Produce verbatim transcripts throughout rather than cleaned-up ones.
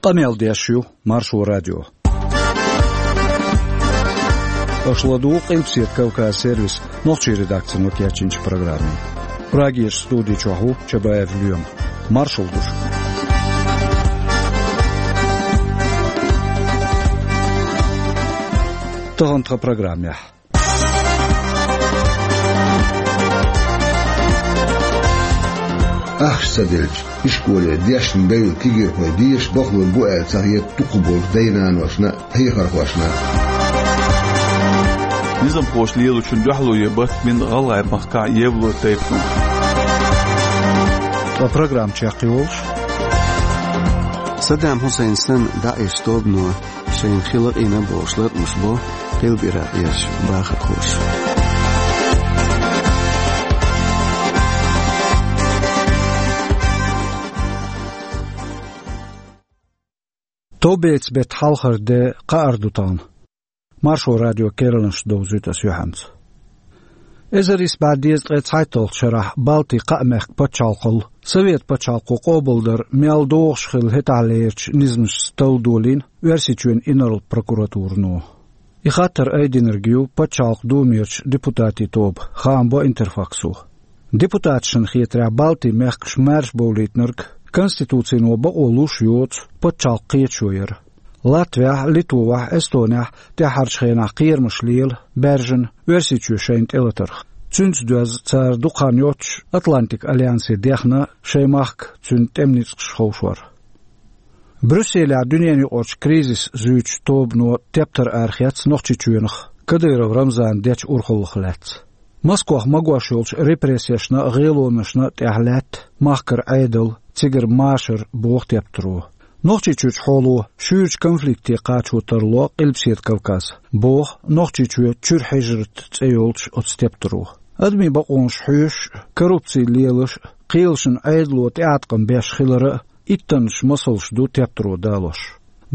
Къамел деш ю Маршо радио. Аша ладугӀу Къилбаседа Кавказ сервисан нохчийн редакцино кечйинчу программе. Прагерчу студи чохь ву Чабаев Лоьма. Маршалла ду шуьга. Тахана тхан программехь. Ахча ца делча, ишколе дешна девлла кегийрхой деша бахалур бу аьлла ца хета дукхахболчу дай-наношна а, хьехархошна а. Низамхоша лелочун дуьхьало ян батта бина ГӀалгӀай махкахь евло тайпано. Ткъа программа чекхйолуш: Саддам Хьусайн санна ДАИШ тобано шайна хи лакъийна бохуш латкъамаш бо Къилба-Иракъ ерш бахархоша. Товбецан беттан хьалхара де, кхаара ду тахана. Маршо радион керланаш довзуьйту ас юьхьанца. Эзар исс бӀе дезткъе цхьайтталгӀачу шарахь Балтийн кхаа мехкан пачхьалкхалла Совет пачхьалкхо къобалдар мел догӀуш хилла хӀетахьлерачу низамашца талла долийна Оьрсийчоьнан инарла прокуратурано. И хаттар айдинарг ю Пачхьалкхан Думерчу депутатийн тоба, хаам бо Интерфаксо. Депутаташна хетарехь, Балтийн мехкаш маьрша бовлийтинарг Конституцино бакъо луш йоцу пачхьалкхан кхеташо яра. Латвехь, Литвахь, Эстонехь тӀаьххьарчу хенахь кхерамаш лела баьржина Оьрсийчоь шайна тӀелатарх. Цуьнца доьзна цара дукха хан йоццуш Атлантикан альянсе дехна шайн махка цуьнан тӀеман ницкъаш ховшор. Брюсселехь дуьненаюкъарчу кризис зуьйчу тобано тептар арахецна Нохчийчоьнах Кадыров Рамзана дечу урхаллах лаьцна. Москвахь магош йолчу репрессешна а, гӀелонашна а тӀехь лаьтта махкара Ӏедал, цигара машар, боху тептаро. Нохчийчуьрчу хьоло шуьйрачу конфликте кхачо тарло Къилбаседа Кавказ, боху Нохчийчоь чуьра хьижрат цӀе йолчу оцу тептаро. Адамийн бакъонаш хьоьшуш а, коррупци лелаш а, кхелашна Ӏедало тӀеӀаткъам беш хилар а иттаннаш масалш ду тептаро далош.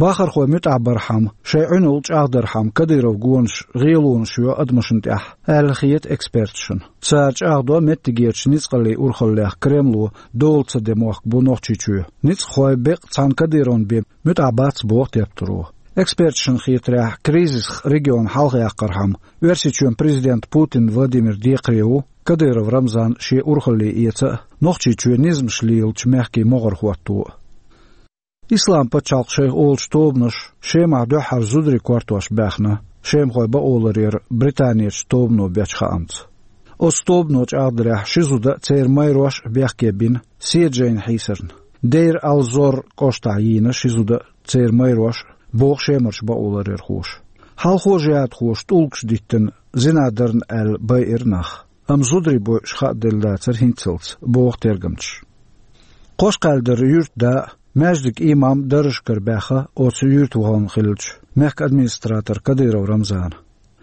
Бахархой муьтӀахь бархьама, шайн Ӏуьналла чӀагӀдархьама Кадыровн гонаш гӀелонаш йо адамашна тӀехь, аьлла хета эксперташна. Цара чӀагӀдо, меттигерчу ницкъаллийн урхаллех Кремло дола ца ден мохк бу Нохчийчоь. Ницкъахой беккъа цхьана Кадыровн бен муьтӀахь бац, боху тептаро. Эксперташна хетарехь, кризисах регион хьалхаяккхархьама, Оьрсийчоьнан президент Путин Владимир декхаре ву Кадыров Рамзан шен урхалле эца а, Нохчийчоь низамаш лелачу мехкийн могӀара хӀотто а. Ислам пачхьалкх шайх олучу тобанаша Шемахь дуьххьара зударий кортош баьхна, шемахой бакъоларъяра Британерчу тобано бечу хаамца. Оцу тобано чӀагӀдарехь, ши зуда а, церан майрош а бехке бина седа жайна хьийсарна. Дейр ал-Зор кӀоштахь йийна ши зуда а, церан майрош а, боху Шемарчу бакъоларъярхоша. Хьалхо жихӀадхоша тӀулгаш диттина, зина дарна аьлла байира нах. Амма зударий бойуш хааделла дацара хӀинццалц, боху тергамчаша. Кхошкхаьллара юьртан да а, маьждиган имам а даржашкара баьхна оцу юьртан вахана хиллачу мехкан администратор Кадыров Рамзана.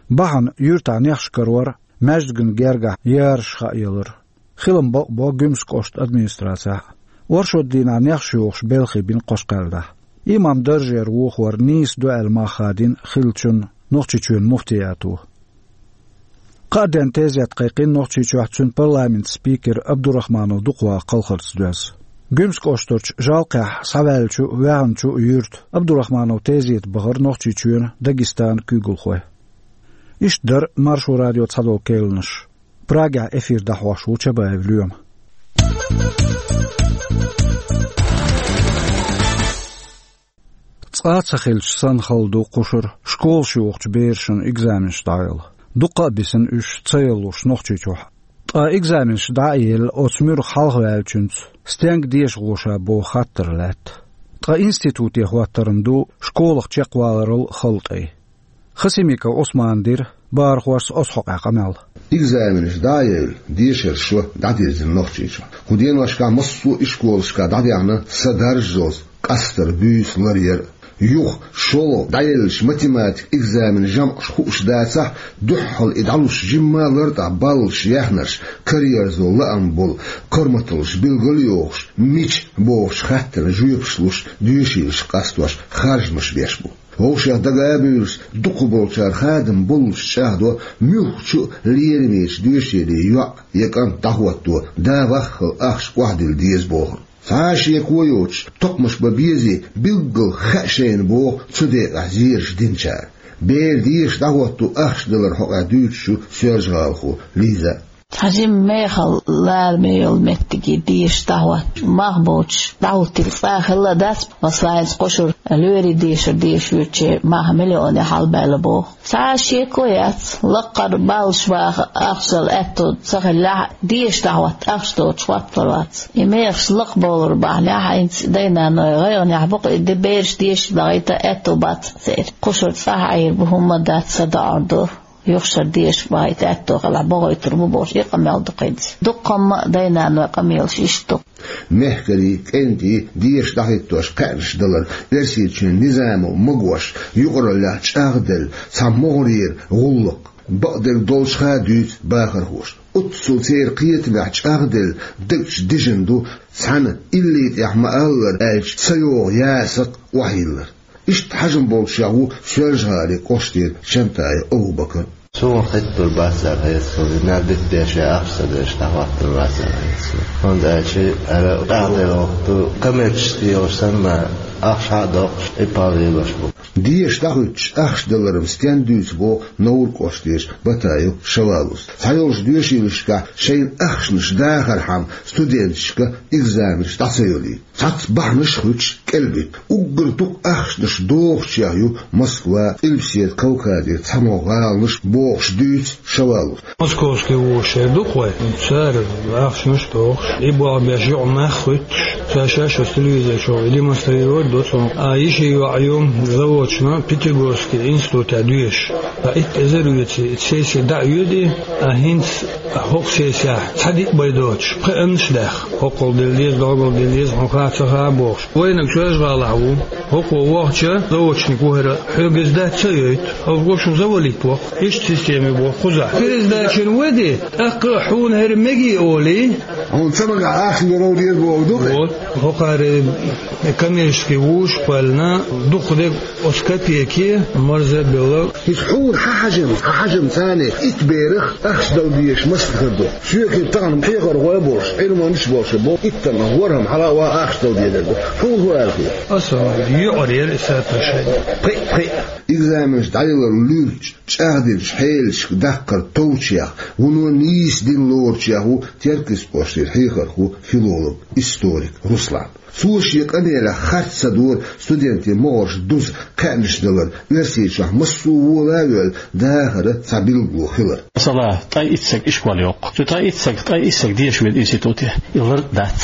Бахьана юьртахь нехаш карор а, маьждиган гергахь яраш хааялар а. Хилам бакъбо Гуьмсан кӀоштан администрацехь а. Оршот дийнахь нехаш йохуш белхий бина Кхошкхаьллехь. Имам даржера вохор нийса ду аьлла мах хадийна хиллачунна Нохчийчоьнан муфтиято. Кхаа денна тезет кхайкхина Нохчийчохь цуьнан парламентан спикера Абдурахманов Дукхваха кхалхарца доьзна. Гуьмсан кӀоштарчу Жалкхехь схьаваьллачу а, ваьхначу а юьртан Абдурахманов тезета бахара Нохчийчоьнан, Дагестанан куьйгалхой. Иштта дара Маршо радион цхьадолу керланаш. Прагехь эфир дӀахьош ву Чабаев Лоьма. Цкъа а ца хилча санна хала ду кхушара школаш йохучу берашна экзаменаш дӀаяла. Дуккха а бисина уьш ца ялалуш Нохчийчохь. Ткъа экзаменаш дӀа а елла, оцу муьрах хьалхаваьллачуьнца стенга деша гӀо ша боху хаттар лаьтта. Ткъа институте хӀоттаран ду школах чекхваларал хала тӀай. Хасимиков Ӏусмана дира бахархошца оцу хьокъехь къамел. Экзаменаш дӀа а евлла, дешаран шо дӀадирзина Нохчийчохь. Кху деношкахь массо а ишколашкахь дӀадаьхьна са даржазалц къастар, буьйса ларъяр а. Юха шолгӀа дӀаеллачу математикан экзаменан жамӀаш хууш дацахь, дуьххьал и дӀалуш жимма а лартӀехь баллаш яьхнарш, караерзо лаам болу, корматаллаш билгал а йохуш, мича бохучу хаттарна жоьпаш луш, доьшийлаш къастош, харжамаш беш бу. Вовшех дага а буьйлуш, дукхахболчара хадам боллуш чӀагӀдо, муьлххачу а лерамечу доьшийле йоӀ я кӀант дӀахӀотто, да ваххал ахча охьадилла деза бохург. Цхьа а шеко йоцуш, токхамаш бан безий билггал хаьа шайна боху цу декъехь зераш динчара. Беран деша дӀахӀотто ахча далар хьокъехь дуьйцуш ю Соьлжа-ГӀалахо Лиза. Цхьа жимма мехала лараме йолу меттиге деша дӀахӀоттош, мах боцуш дӀахӀуттийла цкъа а хилла дац, масала, хӀинца кху шарахь лоьрийн дешар дешаш верг мах миллионе хьалабаьлла боху. Цхьа а шеко яц, лаккхара баллаш баха ахча дала аьтто ца хиллехь а, деша дӀахӀотта ахча доцуш хӀотталур вац. И мехаш лакхабовлар бахьанехь, хӀинца дай-наной гӀайгӀанехь бу-кх, и де бераш дешаш дахийта аьтто бац церан. Кху шарахь цӀахь Ӏийр бу, хӀумма дац, садоӀур ду. Юха шарахь деша бахийта аьтто хилахь, бохуьйтур бу бохуш, и къамел ду кхуьнца. Дуккха а дай-наной къамелаш иштта ду. Мехкарий, кӀентий деша дӀахӀиттош кхаьънаш далар Оьрсийчоьнан низамо магош, юкъараллехь чӀагӀделла цхьа могӀарера гӀуллакх. Бакъдерг долчух а дуьйцу бахархоша. Оццул церан кхетамехь чӀагӀделла дагчу дижина ду, цхьана илли тӀехь ма-аллара аьлча ца йогӀу ясакх охьайиллар. Иштта хьажам болчех ву Соьлжа-ГӀалин кӀоштара Чантаев Абу-Бакар. Суна хӀиттур бац аьлла хета суна, и мел дика деши ахча ца деш дӀахӀоттур вац аьлла хета суна. ХӀунда аьлча ара тӀаьхьа дерг ду, коммерческий йолуш санна, ахча схьа а доккхуш, и пал йолуш бу. Деша дӀахӀуьттуш ахча далар-м стенна дуьйцу боху Невран кӀоштара Батаев Шавалус. Цхьайолчу доьшийлашкахь шайна ахчанаш дахархьама студенташка экзаменаш дӀа ца йолуьйту. Цхьацца бахьанаш а хуьттуш кӀелбита. Уггар дукха ахчанаш дохучех ю Москва, Къилбаседа Кавказера цхьамогӀа гӀаланаш бохуш дуьйцу Шавалус. Московский вузаш шаьш ду-кх вай, цара ахчанаш а дохуш, и болх беш, юкъамах а хуьттуш, ша шаьш оцу телевизор чохь демонстрировать до цунах. А йишин йоӀ ю заочно Пятигорский институтехь доьшуш. Ткъа итт эзар а оьций, сесси дӀа а оьдий, а хӀинца хӀокху сессехь цхьа диъ бай доцуш, пхиъанаш а даьхна. ХӀоккхул дилла деза, доггул дилла деза, хьуна хаа ца хаа бохуш. Вайнаг Соьлжа-ГӀалахь ву. ХӀокхо вахча, заочник ву хӀара, хьоьга иза дац ца йойту. Хьо ву шун завалить воккху. Иштта система боху кхузахь. Пересдачина ваде, тӀаккха а хьуна хӀара мегий олий. Хьуна ца магахь ахча лур ву деза боху ду-кх. Вот. ХӀокхара коммерческий вузаш а кхоьллина, дукха дерг оцу копейке марза а белла. ХӀинца хьуна хьан хьажам, хьан хьажам царна итт берах ахча дала дезаш мастагӀа ду. Соьгахь тахана хьехархой а болуш, Ӏилманчаш а болуш, бо иттаннах ворхӀам хьала а ваха ахча дала дезар ду. Хьуна хӀун аьлла хета? Аса юкъара яра и соотношение. Пхиъ, пхиъ. Экзаменаш дӀаялар луьрачу, чӀагӀдинчу хьелашка даккхар товчех, вуно нийса дин лоручех ву Теркйистан кӀоштара хьехархо, филолог, историк Руслан. Цо шен къамелехь харц ца дора студентийн могӀарш дуза кхаьънаш далар, Оьрсийчохь массо а вола а воьлла дахаран цхьа билгало хилар. Масала, ткъе итт саг ишкол йоккху. Цу ткъе итт саг, ткъе итт саг деша вина институте. И лард дац.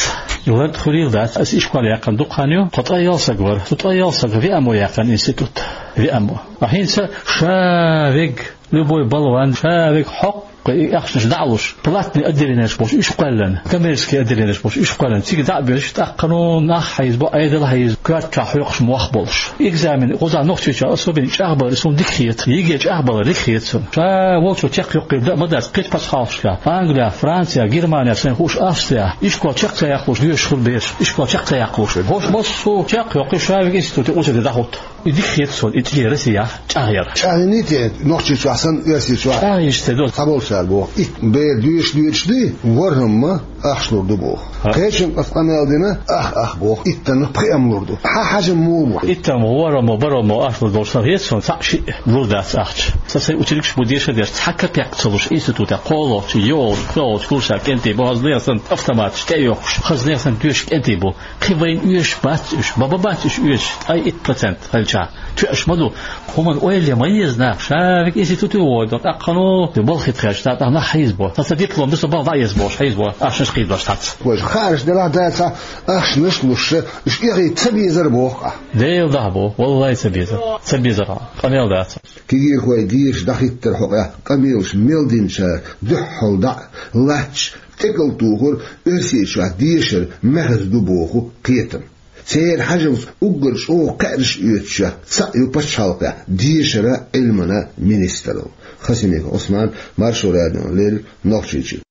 И лард хуьлийла дац. Аса ишкол яьккхина дукха хан ю, тхо ткъе ялх саг вара. Цу ткъе ялх сага веамо яьккхина институт. Веамо. А хӀинца ша вега, любой болван, ша вега хьокху кху и ахчанаш дӀа а луш, платный отделенеш болуш уьш кхоьллина, коммерческий отделенеш болуш уьш кхоьллина, цига дӀа а боьллуш, тӀаккха хӀунда нах хьийзабо, Ӏедал хьийзабо, коьртачохь хьоькхуш ма ваха болуш. Экзамен кхузахь Нохчийчохь особенно чӀагӀбалар суна дика хета, ЕГЭ чӀагӀбалар дика хета суна. Ша волчо чекхйоккхийла дан а ма дац, кхечу пачхьалкхашкахь, Англия, Франция, Германия, сайна хууш Австрия, ишкол чекх ца яккхалуш доьшуш хуьлу бераш, ишкол чекх ца яккхалуш. ХӀорш массо а чекхйоккхий, ша вега институте очереде дӀахӀутту. И дика хета суна, и цӀе Россияхь чӀагӀъяр. ЧӀагӀйиний те, Нохчийчохь санна, Оьрсийчохь? ЧӀагӀйича ца до. Цхьаболчара боху, итт бер доьшуш доьдуш дуй, ворхӀамма ахча лур ду боху. Ха. Кхечун аса къамел дина, ах, ах боху, иттаннах пхиъам лур ду. Хьан хьажам муха бу? Иттаннах ворхӀамма, бархӀамма ахча лур долуш сан хета суна, цхьаъ-шиъ лур дац ахча. Сан сайн ученикаш бу деша а деш, цхьа капек ца луш институтехь кхоалгӀачу, йолчу, кхоалгӀачу курсехь кӀентий бу, хаза леха санна автоматаш тӀе а йоккхуш, хаза леха санна доьшуш кӀентий бу. Кхин вайна оьшуш бац уьш, бан-бан бац уьш оьшуш, ткъе итт процент хилча. Тоьаш ма ду. ХӀуманна ойла ян ма еза наха, ша вега институте вогӀу, тӀаккха хӀун, балхе тхаьш, тӀаккха нах хьийзабо. Цхьацца диплом ду, со балха дӀа а еза бохуш, хьийзабо, ахчанаш кхийдош цхьацца. Вайша хаарш делахь, дацахь, ахчанаш а луш, уьш эхий ца безар боху ахь. Дела дахьа бо, валлай ца безар, ца безар, къамел дац. Кегийрхой деша дӀахӀиттар хьокъехь къамелаш мел динчара дуьххьал дӀа а латташ, тӀекӀал тухур Оьрсийчохь дешар мехаза ду боху кхетам. Церан хьажамца уггар чӀогӀа кхаьънаш оьцучех цхьаъ ю пачхьалкхехь дешаран а, Ӏилманан а министралла. Хасимиков Ӏусман, Маршо радиона леррина, Нохчийчуьра.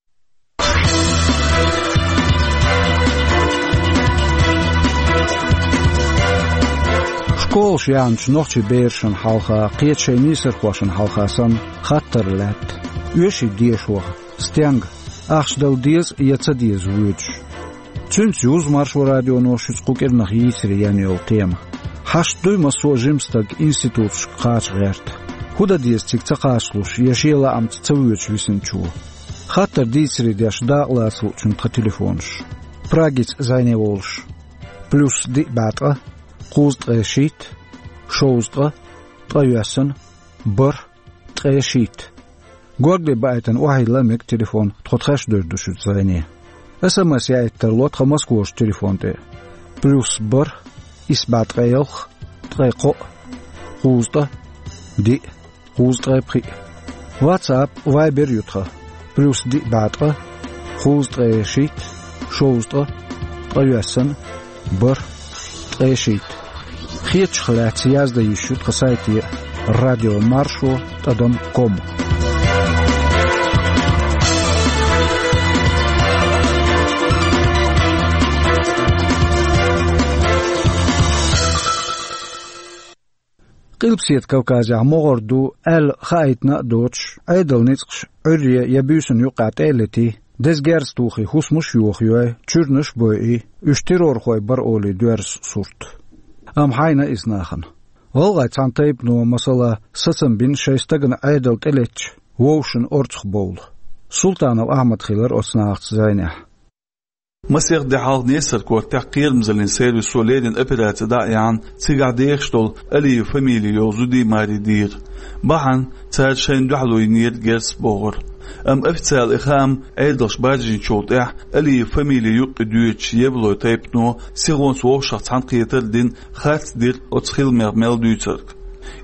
Школаш яьхначу нохчийн берашна хьалха, кхечу шайн нийсархошна хьалха санна, хаттар лаьтта: оьший дешахь стенга, ахча дала деза я ца деза воьдуш? Цуьнца юзу Маршо радионо шуьца кху кӀирнах йийцаре яьнна йолу тема. Хьашт дуй массо а жима стаг институташка кхача гӀерта? ХӀун дан деза цига ца кхачалуш я шен лаамца ца воьдуш висинчо? Хаттар дийцаре деш дакъалаца луучун тхан телефонаш. Прагица зӀене волуш: плюс диъ бӀе ткъа, кхузткъе шийтта, шовзткъа, ткъайоьсна, бархӀ, ткъе шийтта. Горгали баийтина охьайилла мега телефон, тхо тхаьш девр ду шуьца зӀене. СМС яийта тарло тхан Москварчу телефон тӀе: плюс бархӀ, исс бӀе ткъе ялх, ткъе кхоъ, кхузткъа, диъ, кхузткъе пхиъ. WhatsApp, Viber ю тхан: плюс диъ бӀе ткъа, кхузткъе шийтта, шовзткъа, ткъайоьсна, бархӀ, ткъе шийтта. Хетачух лаьцна яздан йиш ю тхан сайте: радио маршо тӀадам ком. Къилбаседа Кавказехь могӀара ду аьлла хаийтина а доцуш, Ӏедалан ницкъаш Ӏуьйре я буьйсанна юккъехь тӀе а летий, деза герз тухий хӀусамаш а йохайой, чуьрнаш а бойий, уьш террорхой бара олий доьрзу сурт. Амма хьайна иза нахана. ГӀалгӀайн цхьана тайпано, масала, сацам бина шайн стагана Ӏедал тӀелеттачу вовшашна орцах бовла. Султанов Ахьмад хилира оцу нахаца зӀенехь. Масех де хьалха Несар-Кортехь кхерамзаллин сервисо леррина операци дӀа а яьхьна, цигахь дехаш долу Алиев фамили йолу зудий, марий дийра. Бахьана цара шайна дуьхьало йинера герз бохург. Амма официалан и хаам Ӏедалша баржийначул тӀаьхьа Алиев фамили юккъе доьдучу Евлой тайпано сихонца вовшашца цхьаьна кхетар а дина, харц дира оцу хиламех мел дуьйцург.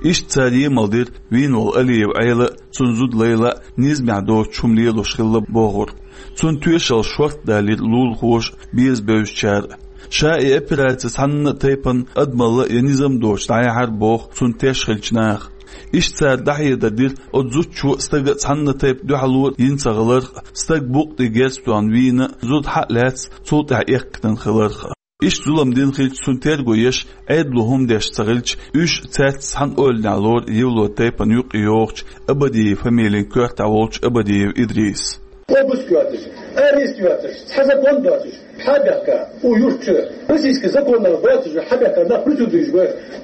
Иштта цара емал дира вийна волу Алиев Ӏела а, цуьнан зуда Лайла а низамехь доцучу хӀума лелош хилла бохург. Цуьнан тоьшалла шортта далийра лулахоша а, беза бевзачара а. Ша и операци цхьанна а тайпана адамалла я низам доцуш дӀаяьхьира боху цунна теш хиллачу наха. Иштта цара дӀахьедар дира оцу зудчо а, стага а цхьанна а тайпа дуьхьало йина ца хиларх а, стаг букъ тӀе герз тоьхна вийна а, зуда хьа а лаьцна цул тӀаьхьа эккхийтина хиларх а. Иштта зулам дина хилча, цунна терго еш, Ӏедало хӀума деш ца хилча, уьш цаьрца цхьана ойланехь лору Евлой тайпана юккъе йогӀучу Абадиев фамилин коьртехь волчу Абадиев Идриса. Обыск йоцуш, арест йоцуш, цхьа закон доцуш, хьа а баьхка, у юрт чу, российский законах доцуш, хьа а баьхка, нах присутствующий бу,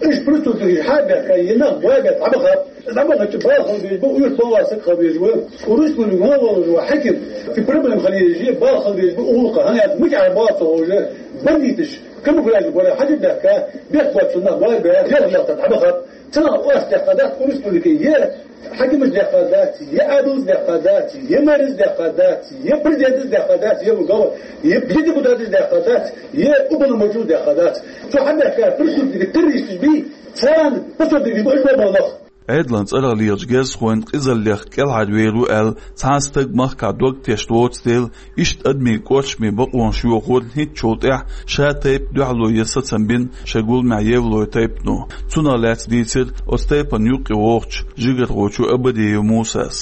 уьш присутствующий хьа а баьхка, и нах бой баьхка, хьа баха. ДӀабаханчу бала хила безаш бу, уьш балла саг хила безаш ву. Урус муьлуьнга вон волуш ву хьаькам, и проблема хила езаш, бала хила безаш бу, уллукъа, хӀана аьлча мичахь бала ца ховш, бандиташ, камуфляж бара, хьаьжа баьхка, бехк боцу нах бой баьхка, ялхаллахта дӀабахат. Цунах ош дехка дац, урус муьлуьнга е хьаькамаш дехка дац, е Ӏедалш дехка дац, е мэраш дехка дац, е президенташ дехка дац, е ву гала, е депутаташ дехка дац, е уполномоченный дехка дац. Цу хьан бехка присутствие террористаш бий, царна пособие бу, уьш бу нах. Ӏедалан цӀарах лелачу герзахойн къизаллех кӀелхьарвер ву аьлла, цхьа а стаг махкахь дог тешна воцу дела, иштта адамийн кӀоршаме бакъонаш йохор хӀинцачул тӀаьхьа ша тайпа дуьхьало ян сацам бина шайн гуламехь Евлой тайпано. Цунах лаьцна дийцира оцу тайпана юккъе вогӀучу жигархочо Абадиев Мусас.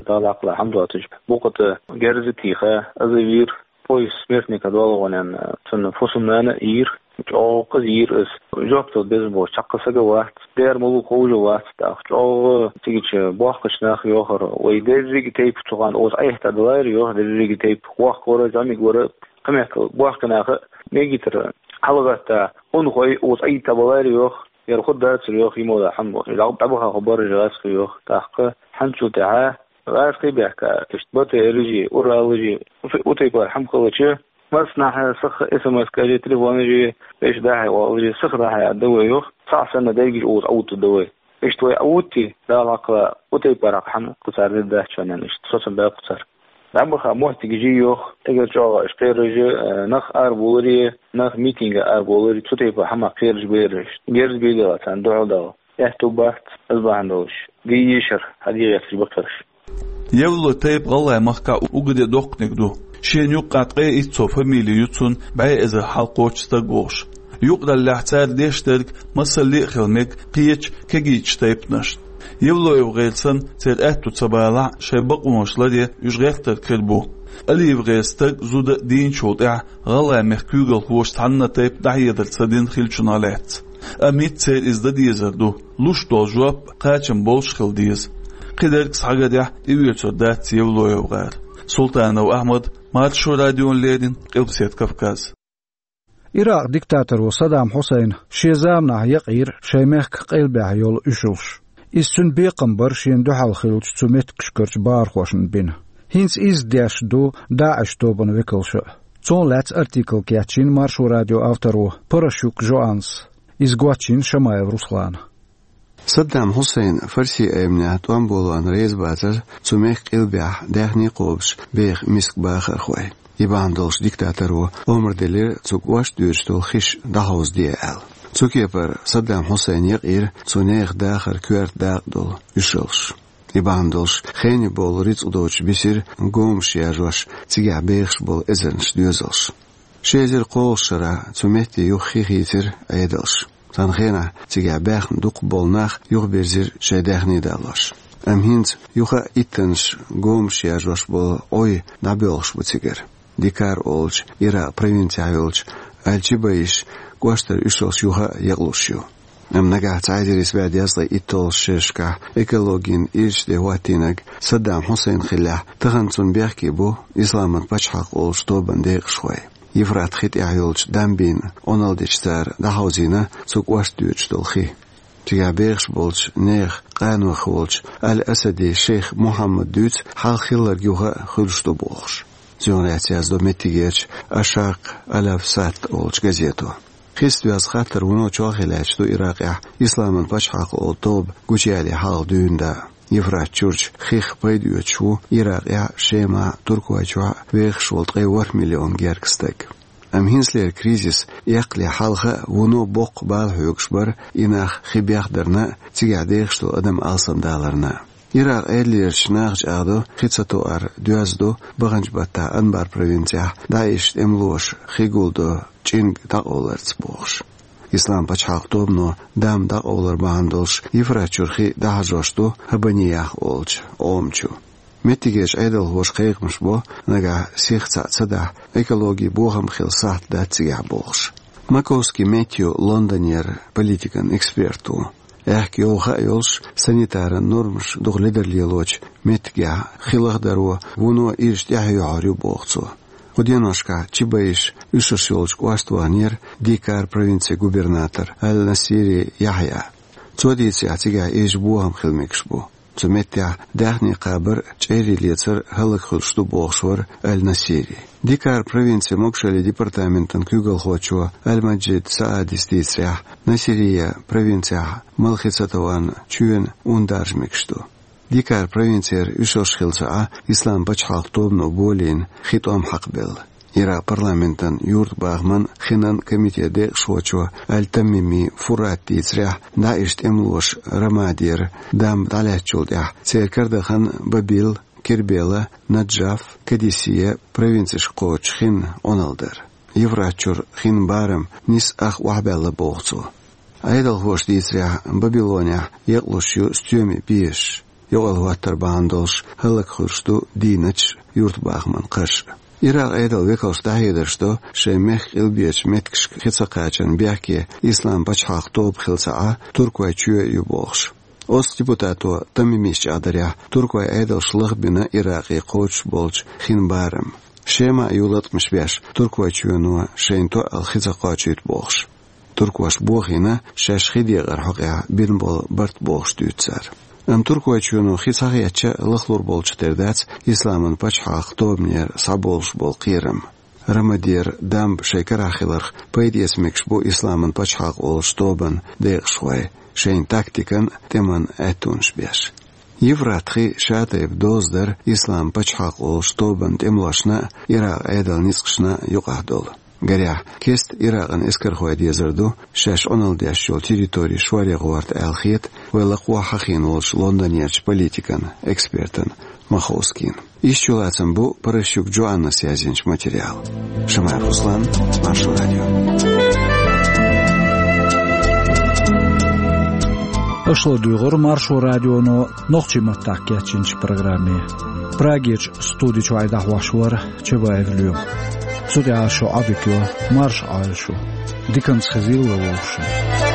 Дала хьакъ лахь хьамдоцуш, букъа тӀе герз а тийха, аза вийра, пояс смертника долу гӀонан, цунна фусам-нана а йийра, чӀогӀа кхаза йийра ас. Жоп дала безам боцуш цхьаккха саг а вац, дера ма ву ховш а вац, тӀаккха чӀогӀа цигачу бохкачу наха йохура, вай дерриге тайпа цу хана оцу Ӏехта далайра йоху, дерриге тайпа вохка вара, зӀамига вара, кхин меттехь бохка наха а мегийтара хьалагӀатта, унахой оцу Ӏийта балайра йоху. Яра хӀун дацара йоху, йимала хьан боху, дӀабаха хӀу баржа гӀазкхи йоху, тӀаккха хьанчул тӀаьхьа гӀазкхий бехка, иштта БТР-жи, Урал-жи, у тайпара хьама хилча, массанхьа саха СМС-кажи, телефонажи, вешан дахье валажи, саха дахье а дан вай йоху, схьа санна дайгаш уза Ӏутту дан вай. Иштта вай Ӏутти, Дала хьакхала, у тайпара хьама кху цара дир дац чонан иштта, соцам баьккху цара. ДӀабаха моттиг жий йоху, эгар чӀогӀа аша кхераш, э, нах арабовларе, нах митинга арабовларе, цу тайпа хьама кхераш бераш, герз бегала царна дуьхьал дала. Аьтту бац, ас бахьана долуш, гий йишар, хьан дегӀ етташ бакхараш. Евлой тайпа гӀалгӀай махкахь уггаре доккханиг ду. Шена юккъехь ткъе итт сов фамили ю цунна, бӀе эзар хьалкхочуш стаг волуш. Юкъараллехь цара деш дерг масалле а хила мега кхечу кегийчу тайпанашна. Евлоев гӀерсан церан аьтту ца балахь а, шайн бакъонаш ларъян уьш гӀертарг хир бу. Алиев гӀеран стаг, зуда дийначул тӀаьхьа гӀалгӀай мехкан куьйгалхоша цхьанна а тайпа дӀахьедар ца дина хиллачунах лаьцна. Амма хӀинца церан иза дан дезар ду, луш долу жоп кхачам болуш хила деза. Кхидерг схьагарехь тӀеоьцур дац Евлоев гӀар. Султанов Ахьмад, Маршо радиона леррина, Къилбаседа Кавказ. Иракъ диктаторо Саддам Хьусайна шен заманахь якъийра шайн мехкан къилбехь йолу уьшалш. Иза цуьнан бекхам бара шена дуьхьал хиллачу цу меттигашкарчу бахархошна бина. ХӀинца изза деш ду ДАИШ тобанан векалша а. Цунах лаьцна артикл кечйина Маршо радион авторо Паращук Жоаннас. Иза гочйина Шамаев Руслана. Саддам Хьусайн фарси айманехь тӀом болон реза бацара цу мехкан къилбехь даьхни кхобуш беха миска бахархой. И бахьана долуш диктаторо омра делира цу кӀошт доьдуш долу хиш дӀахьовзаде аьлла. Цу кепара Саддам Хьусайн якъийра цу нехан дахар коьрта дакъа долу уьшалш. И бахьана долуш хене бовла рицкъ доцуш бисира гомаш яржош цигахь бехаш болу эзарнаш доьзалш. Ши эзар кхоалгӀачу шарахь цу метте юха хи хийцира Ӏедалша. Цхьана хенахь цигахь баьхна дукхахболу нах юхабирзира шайн даьхни далош. Амма хӀинца юха а иттаннаш гомаш яржош болу Ӏой дӀабоьлхуш бу цигара. Дикар олучу Иракъ провинцехь йолчу Аль-Чибаиш кӀоштара уьшалш юха а якълуш ю. Амма нагахь цхьа эзар исс бӀе дезткъе итталгӀачу шерашкахь экологин ирча де хӀоттийнарг Саддам Хьусайн хиллехь, тахана цунна бехке бу Исламан пачхьалкх олучу тобанан декъашхой. Евфрат хи тӀехь йолчу дамбина Ӏуналла дечу цара дӀахьовзийна цу кӀошт доьдуш долу хи. Цигахь бехаш болчу нехан къанойх волчу Аль-Асади шейх Мухьаммада дуьйцу хьалха хилларг юха а хуьлуш ду бохуш. Цунах лаьцна яздо меттигерчу Ашшаркъ Аль-Авсат олучу газето. Хица доьзна хаттар вуно чолхе лаьтташ ду Иракъехь Исламан пачхьалкх олу тоба гучуяьлле хьалха дуьйна даа. Евфрат чурчу хих пайда оьцуш ву Иракъехь, Шемахь, Туркойчохь вехаш волу ткъе ворхӀ миллион гергга стаг. Амма хӀинцалера кризис эккхале хьалха а вуно боккха бала хьоьгуш бара и нах хи бехдарна а, цигахь дехаш долу адам алсамдаларна а. Иракъ Ӏедалерчу наха чӀагӀдо хи ца тоар доьзна ду баханчу баттахь Анбар провинцехь ДАИШ тӀемалоша хи гулдо чӀинг дӀакъовларца бохуш. Ислам пачхьалкх тобано дам дӀакъовлар бахьана долуш Евфрат чуьра хи дӀахьажош ду Хабаниях олучу Ӏома чу. Меттигерчу Ӏедалхоша кхайкхамаш бо, нагахь сиха цхьаъ ца дахь, экологин бохам хила сахьт дац цигахь бохуш. Маковский Мэтью Лондонера политикан эксперт ву. Аьхка йовха а йолуш, санитаран нормаш дукха ледарлелочу меттигехь хи лахдарон вуно ирча тӀаьхьа йохьур ю боху цо. Кху деношкахь Чибаиш уьшуш йолчу кӀошта ваханера Дикар провинцин губернатор Аль-Насири Яхьъя. Цо дийцарехь, цигахь ирча бохам хила мегаш бу. Цу меттехь даьхни кхабар, чӀерий лецар хӀаллакьхуьлуш ду бохуш вара Аль-Насири. Дикар провинцин могушаллин департаментан куьйгалхочо Аль-Маджид Саадис дийцарехь, Насирия провинцехь мала хи ца товарна чоьнан ун даржа мегаш ду. Дикар провинцера уьшалш хилла ца Ӏа Ислам пачхьалкх тобано болийна хи тӀом хьакхабелла. Иракъ парламентан юьртабахаман хинан комитетан декъашхочо Аль-Тамими Фурат дийцарехь, ДАИШ тӀемалоша Рамадера дамба дӀалаьцначул тӀаьхьа церан карадахана Бабил, Кербела, Наджаф, Кадисия провинцешка кхочуш хин Ӏуналла дара. Евфрат чуьра хин барам нисса ах охьабаьлла боху цо. Ӏедалхоша дийцарехь, Бабилонехь екълуш ю стоьмийн безаш. Юкъалла хӀоттар бахьана долуш хӀаллакьхуьлуш ду дийначу юьртабахаман кхаш. Иракъ Ӏедалан векалш дӀахьедарш до шайн мехкан къилбечу меттигашка хи ца кхачарна бехке Ислам пачхьалкх тоба хилла ца Ӏа Туркойн чоь а ю бохуш. Оцу депутато Тамимис чӀагӀдарехь, туркойн Ӏедалша лахбина Иракъе кхочуш болчу хин барам. Шема а ю латкъамаш беш, Туркойн чоьно шайна тоъал хи ца кхочуьйту бохуш. Туркоша бохийна шаьш хи декъар хьокъехь бина болу барт бохуш дуьйцу цара. Амма Туркойн чоьно хи ца хетча, лахлур болчух тера дац Исламан пачхьалкх тобанера схьаболуш болу кхерам. Рамадера дамба шайн карахь хиларх пайда эца мегаш бу Исламан пачхьалкх олучу тобанан декъашхой, шайн тактикан а, тӀеман а аьттонаш беш. Евфрат хи шатайпа доза дара Ислам пачхьалкх олучу тобанан тӀемалошна а, Иракъ Ӏедалан ницкъашна а юкъахь долу. Гарехь, кеста Иракъан эскархой дезар ду, шаьш Ӏуналла деш йолу территори шоре гӀорта аьлла хета вай лакхахь хьахийна волчу Лондонерчу политикан экспертан Маховскийна. Иштта чулацам бу Паращук Джоаннас язйинчу материалан. Шамаев Руслан, Маршо радио. Аша ладуьйгӀира Маршо радионо нохчийн маттахь кечйинчу программе. Прагерчу студи чуьра дӀахьош вара Чабаев Лоьма. Цу тӀехь шу Ӏодика йо, марша Ӏойла шу. Диканца хезийла вовшашна.